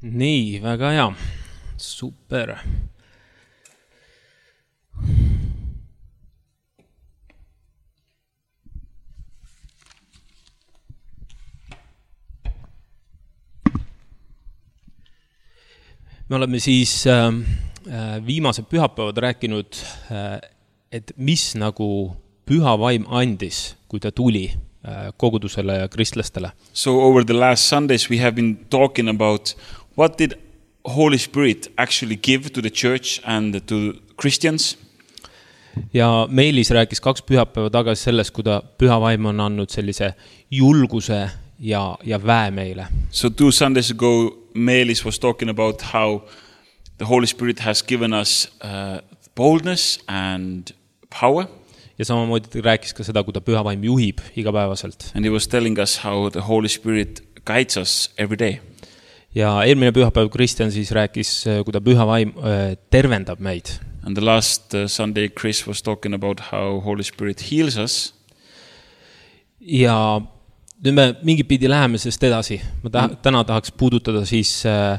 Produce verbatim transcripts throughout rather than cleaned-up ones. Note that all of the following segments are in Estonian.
Nii, väga hea. Super. Me oleme siis äh, viimased pühapäevad rääkinud, äh, et mis nagu püha vaim andis, kui ta tuli äh, kogudusele ja kristlastele. So over the last Sundays we have been talking about what did Holy Spirit actually give to the church and to Christians. Ja Meelis rääkis kaks pühapäeva tagasi sellest, kui ta püha vaim on andnud sellise julguse ja, ja väe meile. So two Sundays ago Meelis was talking about how the Holy Spirit has given us uh, boldness and power. Ja samamoodi ta rääkis ka seda, kui ta püha vaim juhib igapäevaselt. And he was telling us how the Holy Spirit guides us every day. Ja eelmine pühapäev Kristjan siis rääkis, kui ta püha vaim tervendab meid. And the last uh, Sunday Chris was talking about how Holy Spirit heals us. Ja nüüd me mingi pidi läheme sest edasi. Ma ta- täna tahaks puudutada siis äh,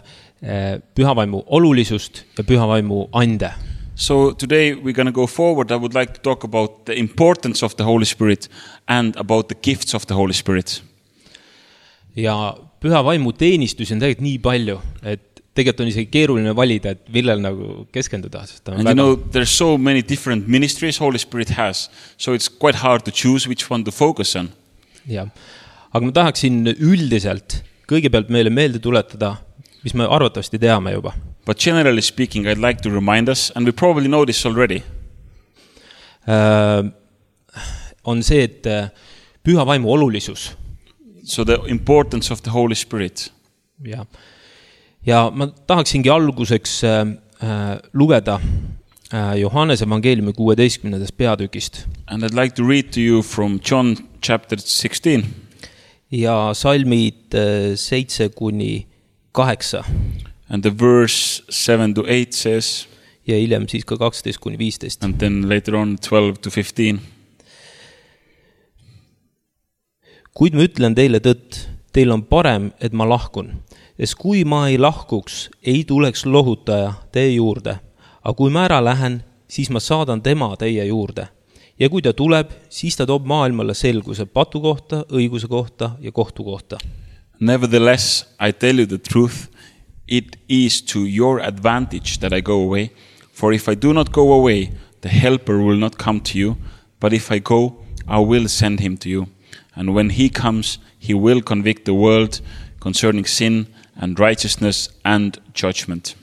pühavaimu olulisust ja pühavaimu ande. So today we're going to go forward. I would like to talk about the importance of the Holy Spirit and about the gifts of the Holy Spirit. Ja pühavaimu teenistusi on tegelikult nii palju, et tegelikult on isegi keeruline valida, et millel nagu keskenduda. And väga... you know, there's so many different ministries Holy Spirit has, so it's quite hard to choose which one to focus on. Ja. Aga ma tahaksin üldiselt kõigepealt meile meelde tuletada, mis me arvatavasti teame juba. But generally speaking, I'd like to remind us, and we probably know this already. Uh, on see, et püha vaimu olulisus. So the importance of the Holy Spirit. Ja, ja ma tahaksingi alguseks uh, lugeda uh, Johannese evangeeliumi kuueteistkümnendast peatükist. And I'd like to read to you from John chapter sixteen. Ja salmid uh, seitse kuni kaheksa. And the verse seven to eight says. Ja hiljem siis ka kaksteist kuni viisteist. And then later on twelve to fifteen. Kuid ma ütlen teile tõtt, teil on parem, et ma lahkun. Sest kui ma ei lahkuks, ei tuleks lohutaja teie juurde. Aga kui ma ära lähen, siis ma saadan tema teie juurde. Ja kui ta tuleb, siis ta toob maailmale selguse patu kohta, õiguse kohta ja kohtu kohta. Nevertheless, I tell you the truth, it is to your advantage that I go away. For if I do not go away, the helper will not come to you. But if I go, I will send him to you. And when he comes, he will convict the world concerning sin and righteousness and judgment.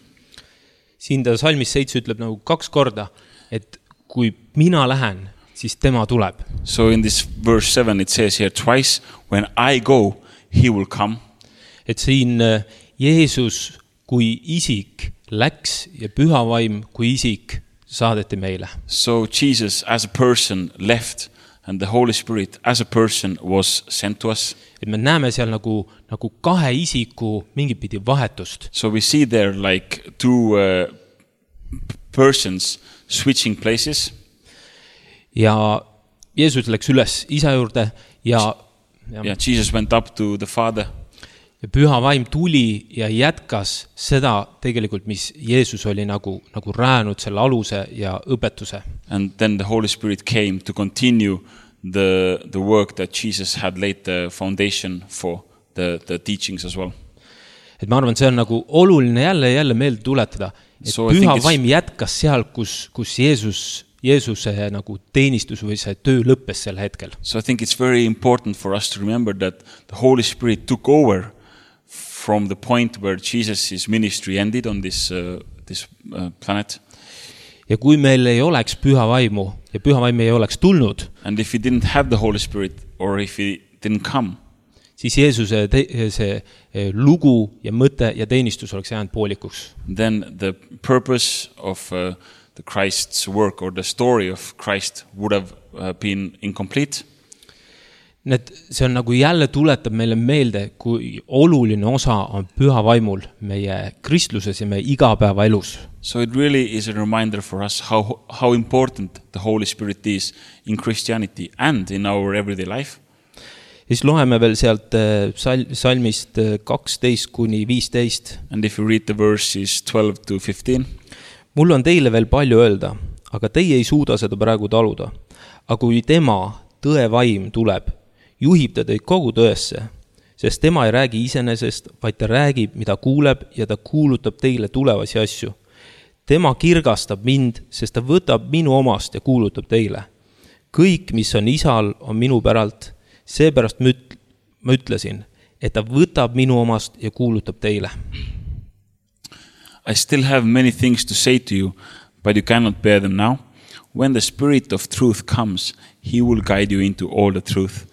Siin ta salmis seitse ütleb nagu kaks korda, et kui mina lähen, siis tema tuleb. So in this verse seven it says here twice, when I go, he will come. Et siin Jeesus kui isik läks ja püha vaim kui isik saadeti meile. So Jesus as a person left and the Holy Spirit as a person was sent to us. Et me näeme seal nagu, nagu kahe isiku mingit pidi vahetust. So we see there like two uh, persons switching places. Ja Jeesus läks üles isa juurde ja, ja yeah, Jesus went up to the Father. Ja püha vaim tuli ja jätkas seda tegelikult, mis Jeesus oli nagu, nagu räänud selle aluse ja õpetuse. And then the Holy Spirit came to continue the, the work that Jesus had laid the foundation for, the, the teachings as well. Et ma arvan, see on nagu oluline jälle jälle meelde tuletada, et so püha vaim jätkas seal, kus, kus Jeesus Jeesuse nagu teenistus või see töö lõppes sel hetkel. So I think it's very important for us to remember that the Holy Spirit took over from the point where Jesus' ministry ended on this, uh, this uh, planet. Ja kui meil ei oleks püha vaimu ja püha vaim ei oleks tulnud, and if he didn't have the Holy Spirit or if he didn't come, siis Jeesuse te- see lugu ja mõte ja teenistus oleks jäänud poolikuks. Then the purpose of uh, the Christ's work or the story of Christ would have uh, been incomplete. Need, see on nagu jälle tuletab meile meelde, kui oluline osa on püha vaimul meie kristluses ja meie igapäeva elus. So it really is a reminder for us how, how important the Holy Spirit is in Christianity and in our everyday life. siis loeme veel sealt sal- salmist kaksteist kuni viisteist. And if you read the verses twelve to fifteen. Mul on teile veel palju öelda, aga teie ei suuda seda praegu taluda. Aga kui tema tõevaim tuleb, juhib ta teid kogu tõesse, sest tema ei räägi iseenesest, vaid ta räägib, mida kuuleb ja ta kuulutab teile tulevasi asju. Tema kirgastab mind, sest ta võtab minu omast ja kuulutab teile. Kõik, mis on isal, on minu päralt. Seepärast ma ütlesin, et ta võtab minu omast ja kuulutab teile. I still have many things to say to you, but you cannot bear them now. When the Spirit of truth comes, he will guide you into all the truth.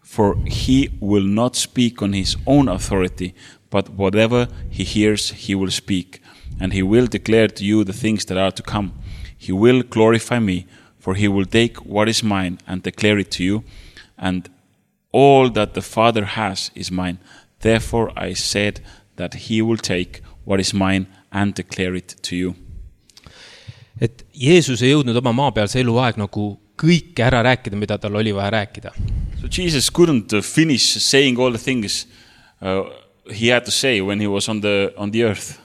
For he will not speak on his own authority, but whatever he hears, he will speak. And he will declare to you the things that are to come. He will glorify me, for he will take what is mine and declare it to you. And all that the Father has is mine. Therefore I said that he will take what is mine and declare it to you. Et Jeesus ei jõudnud oma maapealse eluaeg nagu kõike ära rääkida, mida tal oli vaja rääkida. So Jesus couldn't finish saying all the things uh, he had to say when he was on the, on the earth.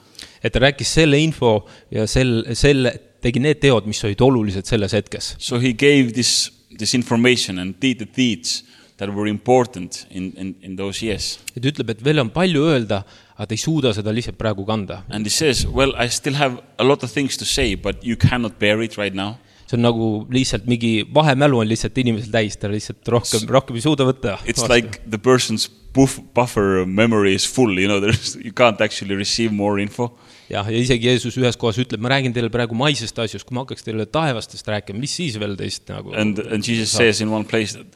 Et ta rääkis selle info ja selle, selle, tegi need teod, mis olid olulised selles hetkes. So he gave this, this information and did the deeds that were important in, in, in those years. Et ütleb, et veel on palju öelda, aga ta ei suuda seda lihtsalt praegu kanda. And he says, well, I still have a lot of things to say, but you cannot bear it right now. See on nagu lihtsalt mingi vahemälu on lihtsalt inimesel täis, ta lihtsalt rohkem, rohkem ei suuda võtta. It's vastu. Like the person's buff, buffer memory is full, you know, there's, you can't actually receive more info. Ja, ja isegi Jeesus ühes kohas ütleb, ma räägin teile praegu maisest asjust, kui ma hakkaks teile taevastest rääkima, mis siis veel teist nagu... And, and Jesus saab. Says in one place that,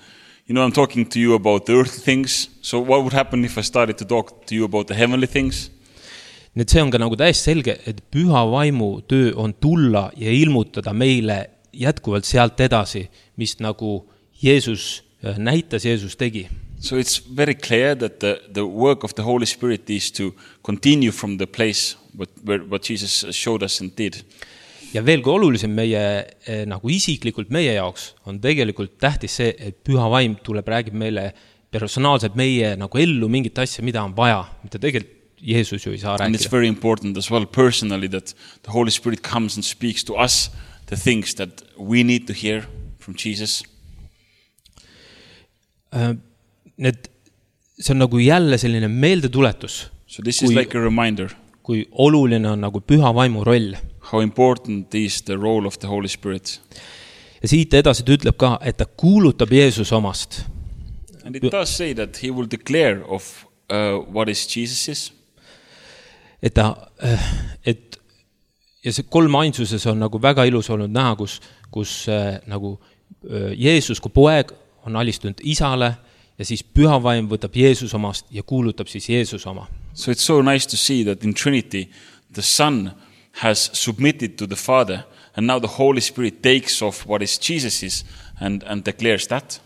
you know, I'm talking to you about the earthly things, so what would happen if I started to talk to you about the heavenly things? Nüüd see on ka nagu täiesti selge, et püha vaimu töö on tulla ja ilmutada meile jätkuvalt sealt edasi, mis nagu Jeesus näitas, Jeesus tegi. So it's very clear that the, the work of the Holy Spirit is to continue from the place what, where, what Jesus showed us and did. Ja veel kui olulisem meie, nagu isiklikult meie jaoks, on tegelikult tähtis see, et püha vaim tuleb, räägib meile personaalselt meie nagu ellu mingit asja, mida on vaja, mida tegelikult Jeesus ju ei saa rääkida. And it's very important as well personally that the Holy Spirit comes and speaks to us the things that we need to hear from Jesus. Uh, need, see on nagu jälle selline meeldetuletus. So this is kui, like a reminder. Kui oluline on nagu püha vaimu roll. How important is the role of the Holy Spirit. Ja siit edasi ta ütleb ka, et ta kuulutab Jeesus omast. And it does say that he will declare of uh, what is Jesus's. Et ta, et ja see kolm ainsuses on nagu väga ilus olnud näha, kus, kus äh, nagu äh, Jeesus kui poeg on alistunud isale ja siis püha vaim võtab Jeesus omast ja kuulutab siis Jeesus oma. So it's so nice to see that in Trinity the Son has submitted to the Father and now the Holy Spirit takes off what is Jesus's and, and declares that.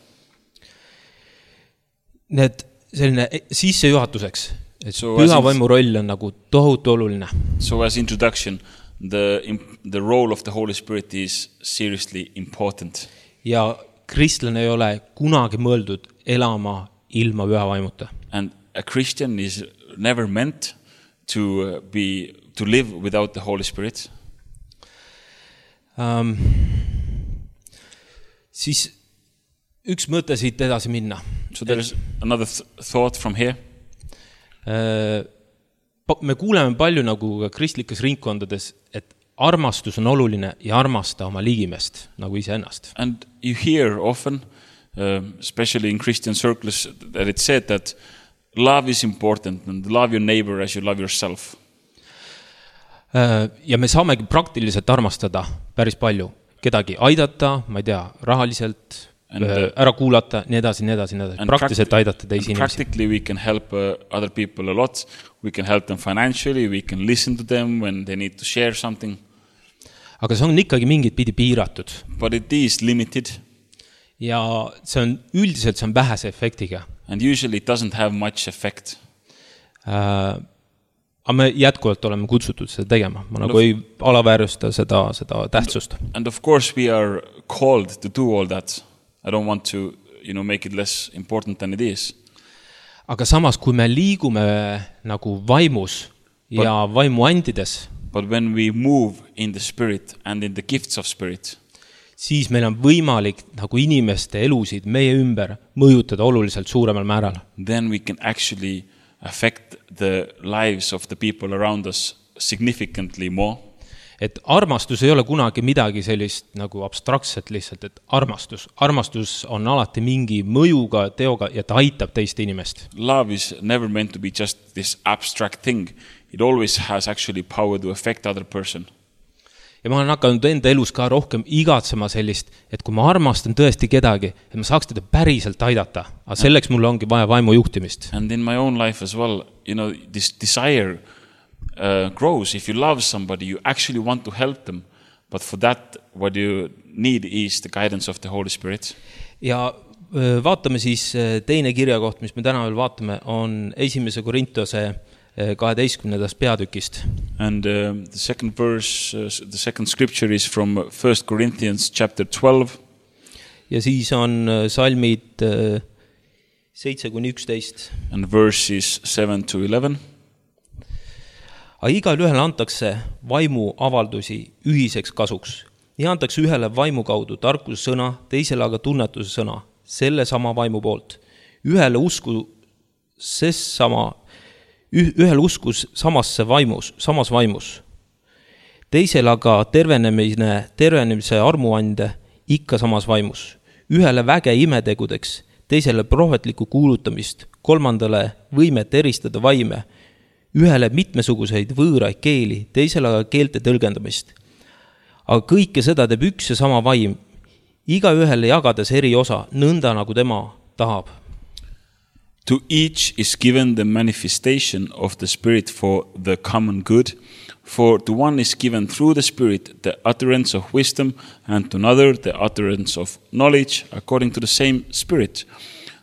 Need selline sissejuhatuseks, et so püha vaimu roll on nagu tohutu oluline. So as introduction, the, the role of the Holy Spirit is seriously important. Ja kristlane ei ole kunagi mõeldud elama ilma püha vaimuta. And a Christian is never meant to be to live without the Holy Spirit. Um, siis üks mõte siit edasi minna. So there is another th- thought from here. Uh, me kuuleme palju nagu ka kristlikes ringkondades, et armastus on oluline ja armasta oma ligimest nagu iseennast. And you hear often, uh, especially in Christian circles, that it's said that love is important and love your neighbor as you love yourself. Uh, ja me saamegi praktiliselt armastada päris palju. Kedagi aidata, ma ei tea, rahaliselt, and, uh, ära kuulata, nii edasi, nii edasi, nii edasi. Praktiliselt practi- aidata teisi inimesi. Practically we can help uh, other people a lot. We can help them financially, we can listen to them when they need to share something. Aga see on ikkagi mingit pidi piiratud. But it is limited. Ja see on üldiselt see on vähese efektiga. And usually it doesn't have much effect. Uh, aga me jätkuvalt oleme kutsutud seda tegema. Ma nagu ei alaväärjusta seda, seda tähtsust. And of course we are called to do all that. I don't want to you know, make it less important than it is. aga samas, kui me liigume nagu vaimus But- ja vaimu andides, But when we move in the spirit and in the gifts of spirit, siis meil on võimalik nagu inimeste elusid meie ümber mõjutada oluliselt suuremal määral. then we can actually affect the lives of the people around us significantly more. Et armastus ei ole kunagi midagi sellist nagu abstraktset lihtsalt, et armastus. Armastus on alati mingi mõjuga, teoga ja ta aitab teist inimest. Love is never meant to be just this abstract thing. It always has actually power to affect other person. Ja ma olen hakanud enda elus ka rohkem igatsema sellist, et kui ma armastan tõesti kedagi, et ma saaks teda päriselt aidata. Aga selleks mul ongi vaja vaimu juhtimist. And in my own life as well, you know, this desire uh, grows. If you love somebody, you actually want to help them. But for that, what you need is the guidance of the Holy Spirit. Ja öö, vaatame siis öö, teine kirjakoht, mis me täna veel vaatame, on esimese Korintose kaheteistkümnendast peatükist. And uh, the second verse, uh, the second scripture is from First Corinthians chapter twelve. Ja siis on öö, salmid öö, seitse kuni üksteist. And verses seven to eleven. Aga igal ühele antakse vaimu avaldusi ühiseks kasuks. Nii antakse ühele vaimu kaudu tarkuse sõna, teisele aga tunnetuse sõna, selle sama vaimu poolt. Ühele usku ses sama ühel uskus samasse vaimus, samas vaimus. Teisel aga tervenemine, tervenemise armuande ikka samas vaimus. Ühele väge imetegudeks, teisele prohvetlikku kuulutamist, kolmandale võimet eristada vaime, ühele mitmesuguseid võõraid keeli, teisele aga keelte tõlgendamist. Aga kõike seda teeb üks ja sama vaim, iga ühele jagades eri osa, nõnda nagu tema tahab. To each is given the manifestation of the Spirit for the common good. For to one is given through the Spirit the utterance of wisdom, and to another the utterance of knowledge according to the same Spirit.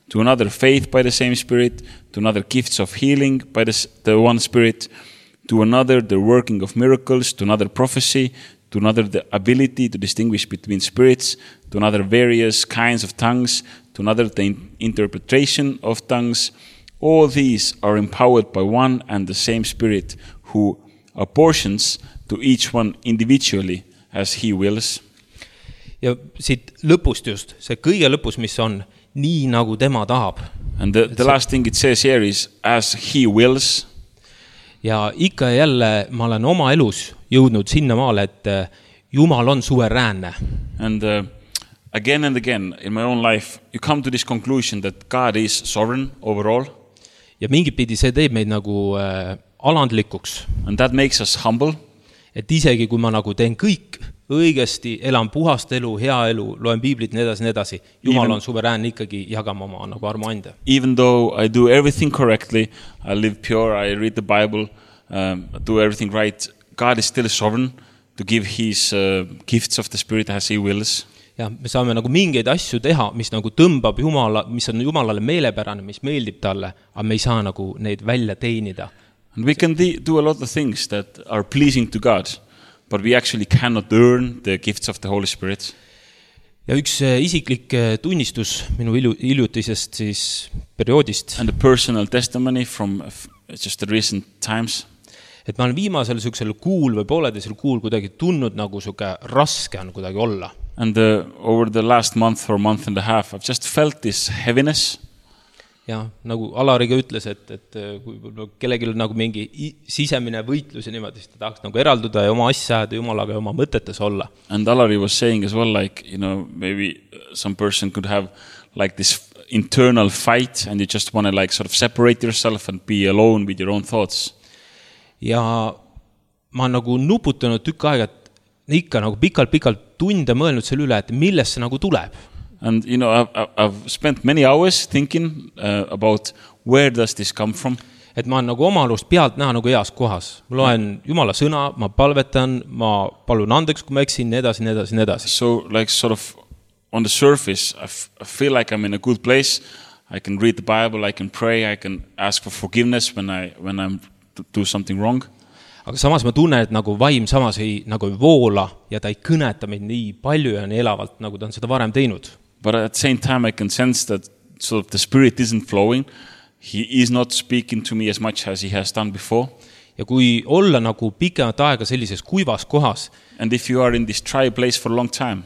To another faith by the same Spirit, to another gifts of healing by the, the one Spirit, to another the working of miracles, to another prophecy, to another the ability to distinguish between spirits, to another various kinds of tongues, to another the in- interpretation of tongues. All these are empowered by one and the same Spirit, who apportions to each one individually as he wills. Ja siit lõpust just, see kõige lõpus, mis on, nii nagu tema tahab. And the, the last thing it says here is, as he wills. Ja ikka ja jälle ma olen oma elus jõudnud sinna maale, et Jumal on suveräänne. And uh, again and again in my own life, you come to this conclusion that God is sovereign overall. Ja mingit pidi see teeb meid nagu äh, alandlikuks. And that makes us humble. Et isegi kui ma nagu teen kõik õigesti, elan puhast elu, hea elu, loen piiblit, nii edasi, nii edasi. Jumal Even, on suveräänne ikkagi jagama oma nagu armuande. Even though I do everything correctly, I live pure, I read the Bible, um, I do everything right, God is still sovereign to give his uh, gifts of the Spirit as he wills. Ja me saame nagu mingeid asju teha, mis nagu tõmbab Jumala, mis on Jumalale meelepärane, mis meeldib talle, aga me ei saa nagu neid välja teenida. And we can do a lot of things that are pleasing to God, but we actually cannot earn the gifts of the Holy Spirit. Ja üks isiklik tunnistus minu hiljutisest siis perioodist. And a personal testimony from just the recent times. Et ma olen viimasel sükselel kuul või pooleteisel kuul kuidagi tundnud nagu suke raske on kuidagi olla. And uh, over the last month or month and a half, I've just felt this heaviness. Ja nagu Alariga ütles, et, et kui kellegi on nagu mingi sisemine võitlus ja niimoodi, siis ta tahaks nagu eralduda ja oma asja ja Jumalaga ja oma mõtetes olla. And Alari was saying as well, like, you know, maybe some person could have like this internal fight and you just want to like sort of separate yourself and be alone with your own thoughts. Ja ma olen nagu nuputanud tükk aega, et ikka nagu pikalt-pikalt tunde mõelnud selle üle, et millest see nagu tuleb. And, you know, I've, I've spent many hours thinking uh, about where does this come from. Et ma olen nagu oma alust pealt näha nagu heas kohas. Ma loen Jumala sõna, ma palvetan, ma palun andeks, kui ma eksin, nii edasi, nii edasi, nii edasi. So, like, sort of on the surface, I, f- I feel like I'm in a good place. I can read the Bible, I can pray, I can ask for forgiveness when I when I'm to do something wrong. Aga samas ma tunnen, et nagu vaim samas ei, nagu ei voola ja ta ei kõneta meid nii palju ja nii elavalt, nagu ta on seda varem teinud. But at the same time, I can sense that sort of the Spirit isn't flowing. He is not speaking to me as much as he has done before. Ja kui olla nagu pikemat aega sellises kuivas kohas, And if you are in this dry place for a long time,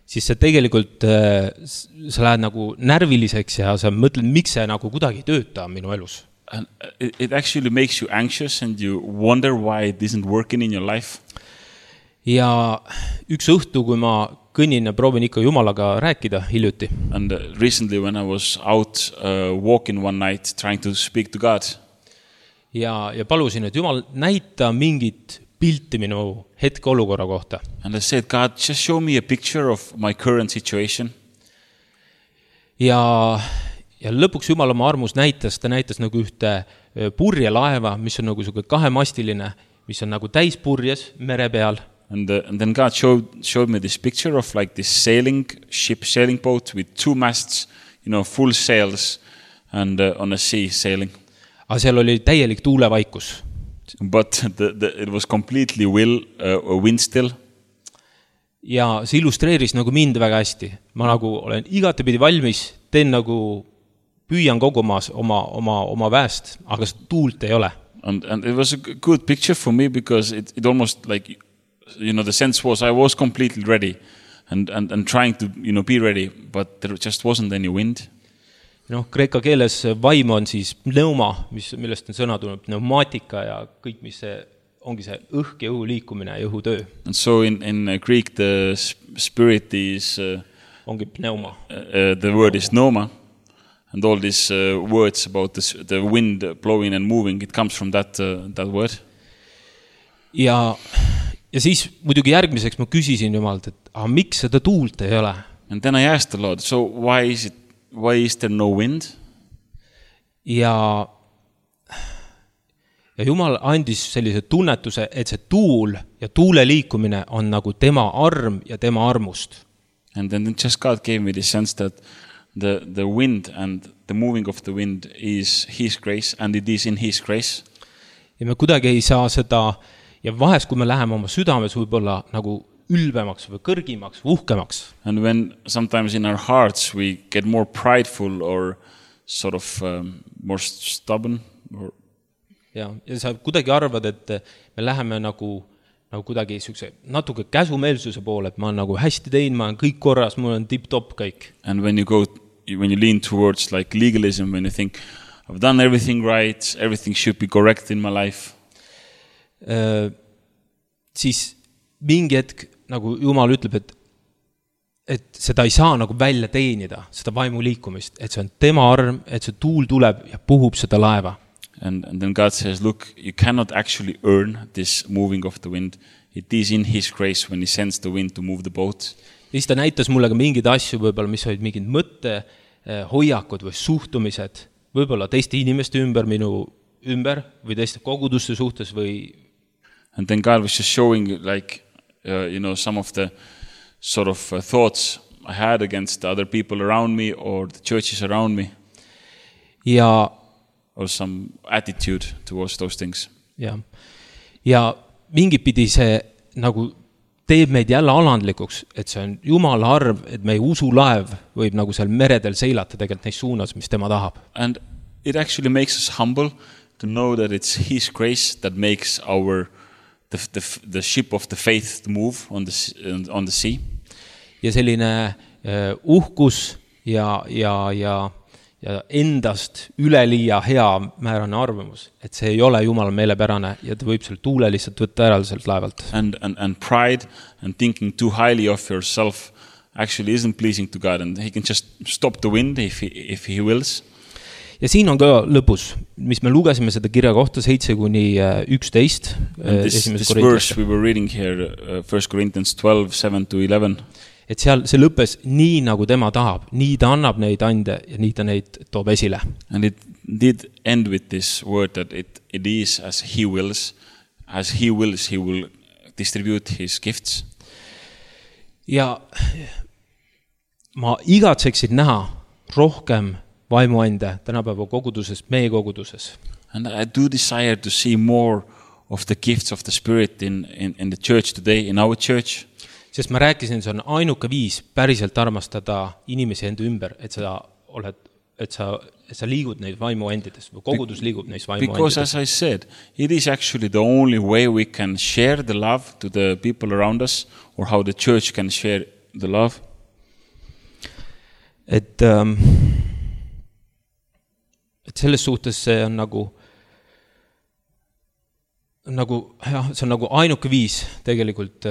siis see tegelikult, sa lähed nagu närviliseks ja sa mõtled, miks see nagu kuidagi ei tööta minu elus. and it, it actually makes you anxious and you wonder why it isn't working in your life. Ja üks õhtu, kui ma kõnnin ja proovin ikka Jumalaga rääkida hiljuti. And uh, recently when I was out uh, walking one night trying to speak to God, Ja, ja palusin, et Jumal näita mingit pilti minu hetkeolukorra kohta. and I said, God, just show me a picture of my current situation. Ja, ja lõpuks Jumal oma armus näitas, ta näitas nagu ühte purjelaeva, mis on nagu selline kahemastiline, mis on nagu täis purjes mere peal. And, uh, and then God showed, showed me this picture of like this sailing ship, sailing boat with two masts, you know, full sails and uh, on a sea sailing. Aga seal oli täielik tuulevaikus. But the, the, it was completely will, uh, wind still. Ja see illustreeris nagu mind väga hästi. Ma nagu olen igatepidi valmis, teen nagu püüan kogu oma, oma, oma, oma väest, aga tuult ei ole. And, and it was a good picture for me because it, it almost like, you know, the sense was I was completely ready and, and, and trying to, you know, be ready, but there just wasn't any wind. No, kreeka keeles vaim on siis pneuma, mis, millest on sõna tulnud, pneumaatika ja kõik, mis see ongi see õhk ja õhu liikumine ja õhutöö. And so in, in Greek the spirit is, uh, ongi pneuma. Uh, the word is pneuma, and all these uh, words about this, the wind blowing and moving, it comes from that, uh, that word. Ja, ja siis muidugi järgmiseks ma küsisin Jumalt, et ah, miks seda tuult ei ole? And then I asked the Lord, so why is it Why is there no wind? Ja, ja Jumal andis sellise tunnetuse, et see tuul ja tuule liikumine on nagu tema arm ja tema armust. And then just God gave me the sense that the, the wind and the moving of the wind is His grace and it is in His grace. Ja me kuidagi ei saa seda, ja vahest kui me läheme oma südames võib-olla nagu ülbemaks või kõrgimaks, uhkemaks. And when sometimes in our hearts we get more prideful or sort of um, more stubborn. Or... Ja, ja sa kuidagi arvad, et me läheme nagu, nagu kuidagi sükse, natuke käsumeelsuse poole, et ma olen nagu hästi teinud, ma olen kõik korras, mul on tip-top kõik. And when you go, when you lean towards like legalism, when you think, I've done everything right, everything should be correct in my life. Uh, siis mingi hetk nagu Jumal ütleb, et, et seda ei saa nagu välja teenida, seda vaimu liikumist, et see on tema arm, et see tuul tuleb ja puhub seda laeva. And, and then God says, look, you cannot actually earn this moving of the wind. It is in His grace when He sends the wind to move the boat. Ja siis ta näitas mulle ka mingid asju, võib-olla, mis olid mingid mõtte, hoiakud või suhtumised, võib-olla teiste inimeste ümber, minu ümber või teiste koguduste suhtes või... And then God was just showing like, Uh, you know, some of the sort of uh, thoughts I had against the other people around me or the churches around me. Ja, or some attitude towards those things. Ja, ja mingi pidi see nagu teeb meid jälle alandlikuks, et see on Jumala arv, et meie usulaev võib nagu seal meredel seilata tegelikult neis suunas, mis tema tahab. And it actually makes us humble to know that it's His grace that makes our The, the, the ship of the faith to move on the, on the sea. Ja selline uh, uhkus ja, ja, ja, ja endast üleliia hea määrane arvamus, et see ei ole Jumala meelepärane ja ta võib selle tuule lihtsalt võtta ära sealt laevalt. And, and, and pride and thinking too highly of yourself actually isn't pleasing to God and He can just stop the wind if He, if he wills. Ja siin on ka lõpus, mis me lugesime seda kirja kohta seitse kuni üksteist. This, this verse we were reading here, uh, First Corinthians twelve, seven to eleven. Et seal see lõppes nii nagu tema tahab, nii ta annab neid ande ja nii ta neid toob esile. And it did end with this word that it, it is as He wills, as He wills, He will distribute His gifts. Ja ma igatseksin näha rohkem vaimuande tänapäeva koguduses, meie koguduses. And I do desire to see more of the gifts of the Spirit in, in, in the church today, in our church. sest ma rääkisin, see on ainuke viis päriselt armastada inimesi enda ümber, et sa oled, et sa, et sa liigud neis vaimuendides või kogudus liigub neis vaimuendides. Because as I said, it is actually the only way we can share the love to the people around us or how the church can share the love. Et, ähm, et selles suhtes see on nagu nagu, jah, see on nagu ainuke viis tegelikult,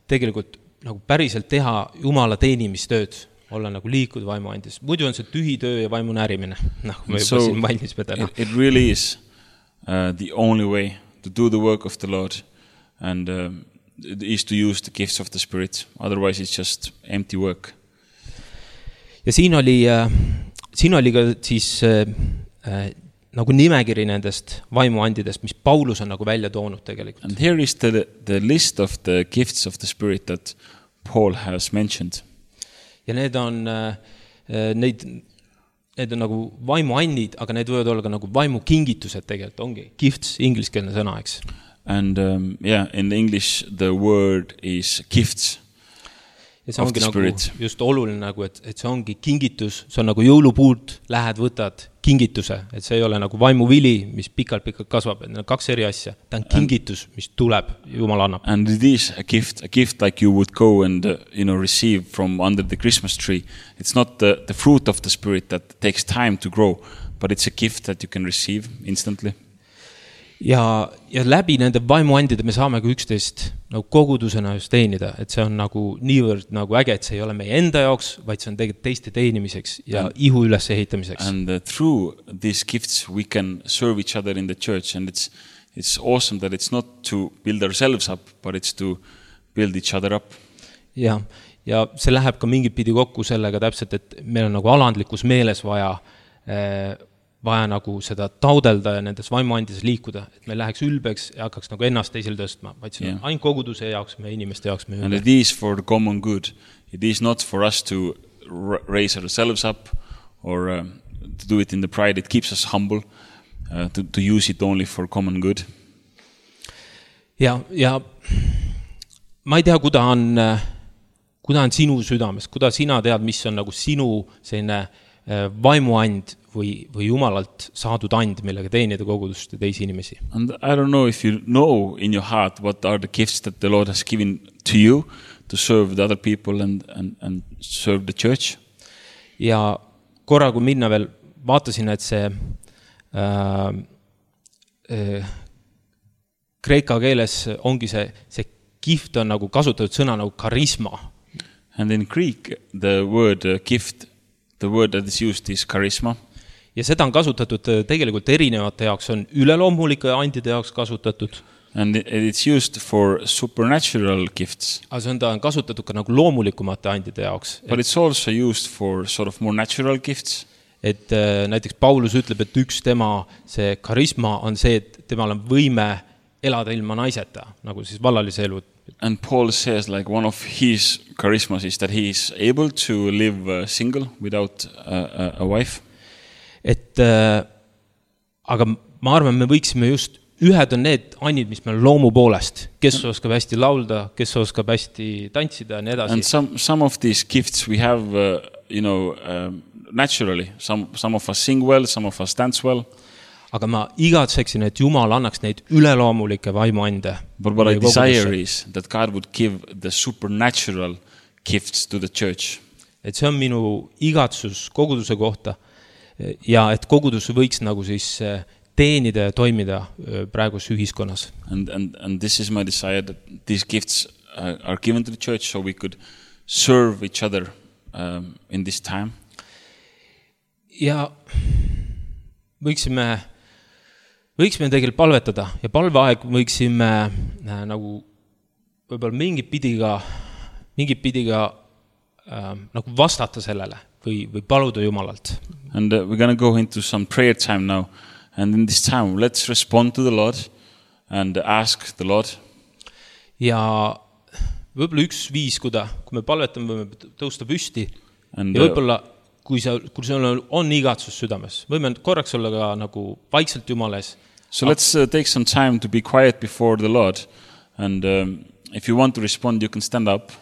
tegelikult nagu päriselt teha Jumala teenimistööd, olla nagu liikuda vaimuandis. Muidu on see tühi töö ja vaimu närimine. Noh, me juba siin mainisime täna. It, it really is uh, the only way to do the work of the Lord and uh, is to use the gifts of the Spirit. Otherwise it's just empty work. Ja siin oli, äh, siin oli ka siis äh, äh, nagu nimekiri nendest vaimuandidest, mis Paulus on nagu välja toonud tegelikult. And here is the, the list of the gifts of the Spirit that Paul has mentioned. Ja need on, neid, need on nagu vaimuandid, aga need võivad olla ka nagu vaimukingitused tegelikult, ongi gifts, ingliskeelne sõna, eks. And um, yeah, in English the word is gifts. Ja see ongi nagu just oluline, nagu, et, et see ongi kingitus, see on nagu jõulupuud, lähed, võtad kingituse, et see ei ole nagu vaimuvili, mis pikalt-pikalt kasvab, et need on kaks eri asja. Ta on kingitus, mis tuleb, Jumal annab. And it is a gift, a gift like you would go and uh, you know, receive from under the Christmas tree. It's not the, the fruit of the Spirit that takes time to grow, but it's a gift that you can receive instantly. Ja, ja läbi nende vaimuandide me saame ka üksteist nagu kogudusena just teenida, et see on nagu niivõrd nagu äge, et see ei ole meie enda jaoks, vaid see on tegelikult teiste teenimiseks ja and, ihu üles ehitamiseks. And uh, through these gifts we can serve each other in the church and it's, it's awesome that it's not to build ourselves up, but it's to build each other up. Ja, ja see läheb ka mingit pidi kokku sellega täpselt, et meil on nagu alandlikus meeles vaja eh, vaja nagu seda taudelda ja nendes vaimuandides liikuda, et me läheks ülbeks ja hakkaks nagu ennast teisel tõstma, vaid see on yeah. ainult koguduse jaoks, meie inimeste jaoks. And it is for the common good. It is not for us to raise ourselves up or uh, to do it in the pride. It keeps us humble, uh, to, to use it only for common good. Ja, ja ma ei tea, kuda on, kuda on sinu südames, kuda sina tead, mis on nagu sinu selline vaimuand või, või Jumalalt saadud and, millega teenida kogudust ja teisi inimesi. And I don't know if you know in your heart what are the gifts that the Lord has given to you to serve the other people and, and, and serve the church. Ja korra, kui minna veel, vaatasin, et see äh, äh, kreeka keeles ongi see, see gift on nagu kasutatud sõna nagu karisma. And in Greek, the word uh, gift, the word that is used is charisma. Ja seda on kasutatud tegelikult erinevate jaoks, on üleloomulike andide jaoks kasutatud. And it's used for supernatural gifts. Aga see on, ta on kasutatud ka nagu loomulikumate andide jaoks. But it's also used for sort of more natural gifts. Et äh, näiteks Paulus ütleb, et üks tema see karisma on see, et temal on võime elada ilma naiseta, nagu siis vallalise elu. And Paul says like one of his charismas is that he is able to live uh, single without uh, a wife. Et, äh, aga ma arvan, me võiksime just, ühed on need annid, mis meil loomu poolest, kes oskab hästi laulda, kes oskab hästi tantsida ja nii edasi. And some, some of these gifts we have, uh, you know, um, naturally. Some, some of us sing well, some of us dance well. Aga ma igatseksin, et Jumal annaks neid üleloomulikke vaimuande. But what I desire is that God would give the supernatural gifts to the church. Et see on minu igatsus koguduse kohta. Ja et kogudus võiks nagu siis teenida ja toimida praegus ühiskonnas. And, and, and this is my desire that these gifts uh, are given to the church so we could serve each other um, in this time. Ja võiksime, võiksime tegelikult palvetada ja palveaeg võiksime äh, nagu võib-olla mingit pidiga, mingit pidiga äh, nagu vastata sellele või, või paluda Jumalalt. And uh, we're going to go into some prayer time now. And in this time, let's respond to the Lord and ask the Lord. Ja võib-olla üks viis, kuda, kui me palvetame, võime tõusta püsti. And, ja võib-olla, kui sa, kui sul on igatsus südames, võime korraks olla ka nagu vaikselt Jumales. So let's uh, take some time to be quiet before the Lord. And um, if you want to respond, you can stand up.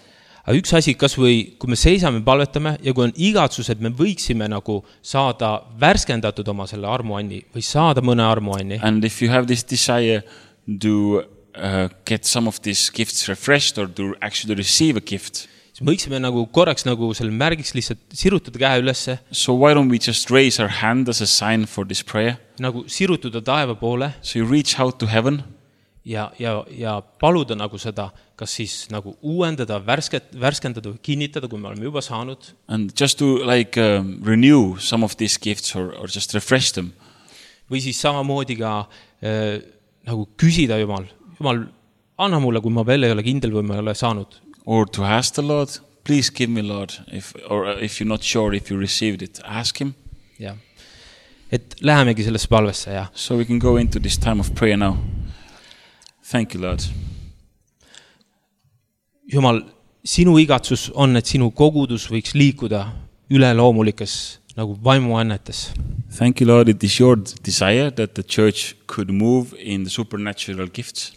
aga üks asi, kas või kui me seisame, palvetame ja kui on igatsus, et me võiksime nagu saada värskendatud oma selle armuanni või saada mõne armuanni. And if you have this desire to uh, get some of these gifts refreshed or to actually receive a gift, siis võiksime nagu korraks nagu selle märgiks lihtsalt sirutada käe ülesse. So why don't we just raise our hand as a sign for this prayer? Nagu sirutada taeva poole. So you reach out to heaven. Ja, ja, ja paluda nagu seda, kas siis nagu uuendada, värsket, värskendada või kinnitada, kui me oleme juba saanud. And just to like um, renew some of these gifts or, or just refresh them. Või siis samamoodi ka äh, nagu küsida Jumal, Jumal, anna mulle, kui ma veel ei ole kindel või ma ei ole saanud. Or to ask the Lord, please give me Lord, if, or if you're not sure if you received it, ask him. Ja. Et lähemegi sellesse palvesse, ja. So we can go into this time of prayer now. Thank you, Lord. Jumal, sinu igatsus on, et sinu kogudus võiks liikuda üleloomulikes nagu vaimuannetes. Thank you, Lord. It is your desire that the church could move in the supernatural gifts.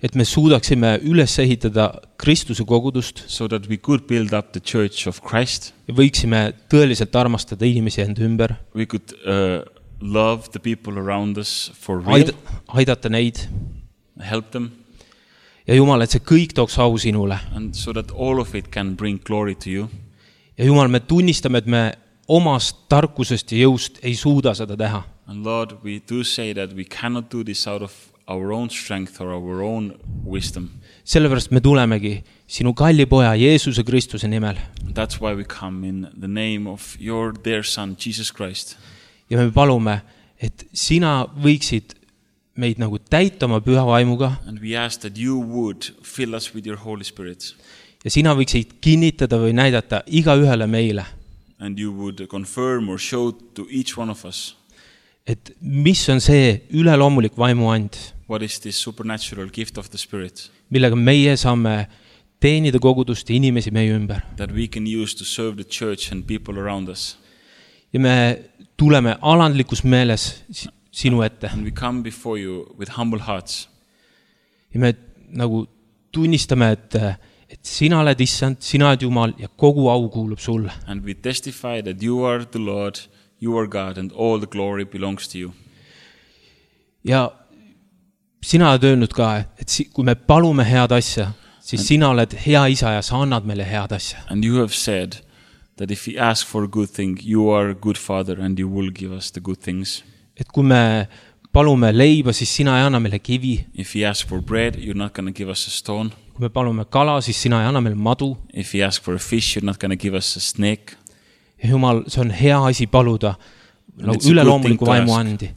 Et me suudaksime üles ehitada Kristuse kogudust. So that we could build up the church of Christ. Ja võiksime tõeliselt armastada inimesi enda ümber. We could uh, love the people around us for real. Aidata neid. Help them. Ja Jumal, et see kõik tooks au sinule. And so that all of it can bring glory to you. Ja Jumal, me tunnistame, et me omast tarkusest ja jõust ei suuda seda teha. And Lord, we do say that we cannot do this out of our own strength or our own wisdom. Sellepärast me tulemegi sinu kalli poja Jeesuse Kristuse nimel. That's why we come in the name of your dear son, Jesus Christ. Ja me palume, et sina võiksid meid nagu täita oma püha vaimuga. And we ask that you would fill us with your Holy Spirit. Ja sina võiksid kinnitada või näidata iga ühele meile. And you would confirm or show to each one of us. Et mis on see üleloomulik vaimuand? What is this supernatural gift of the Spirit? Millega meie saame teenida kogudust ja inimesi meie ümber. That we can use to serve the church and people around us. Ja me tuleme alandlikus meeles sinu ette. And we come before you with humble hearts. Ja me nagu tunnistame, et, et sina oled issand, sina oled Jumal ja kogu au kuulub sulle. And we testify that you are the Lord, you are God and all the glory belongs to you. Ja sina oled öelnud ka, et kui me palume head asja, siis and, sina oled hea isa ja sa annad meile head asja. And you have said that if we ask for a good thing, you are a good father and you will give us the good things. Et kui me palume leiba, siis sina ei anna meile kivi. If we ask for bread, you're not going to give us a stone. Kui me palume kala, siis sina ei anna meile madu. If we ask for a fish, you're not going to give us a snake. Ja Jumal, see on hea asi paluda nagu üleloomuliku vaimu andi.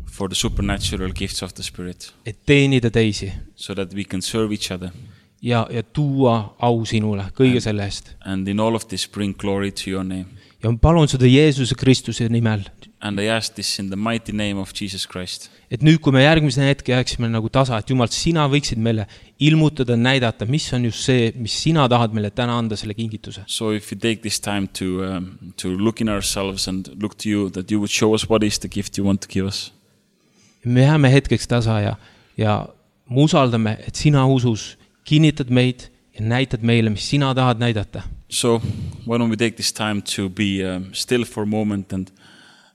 For the supernatural gifts of the Spirit. Et teenida teisi. So that we can serve each other. Ja, ja tuua au sinule kõige selle eest. And in all of this bring glory to your name. Ja palun seda Jeesuse Kristuse nimel. And I ask this in the mighty name of Jesus Christ. Et nüüd, kui me järgmise hetke jääksime nagu tasa, et Jumal, sina võiksid meile ilmutada, näidata, mis on just see, mis sina tahad meile täna anda selle kingituse. So if we take this time to, um, to look in ourselves and look to you, that you would show us what is the gift you want to give us. Me jääme hetkeks tasa ja, ja me usaldame, et sina usus kinnitad meid ja näitad meile, mis sina tahad näidata. So why don't we take this time to be um, still for a moment and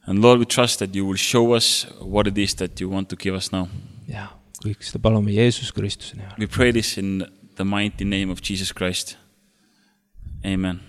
And Lord, we trust that you will show us what it is that you want to give us now. Ja, kõik seda palume Jeesus Kristuse nimel. We pray this in the mighty name of Jesus Christ. Amen.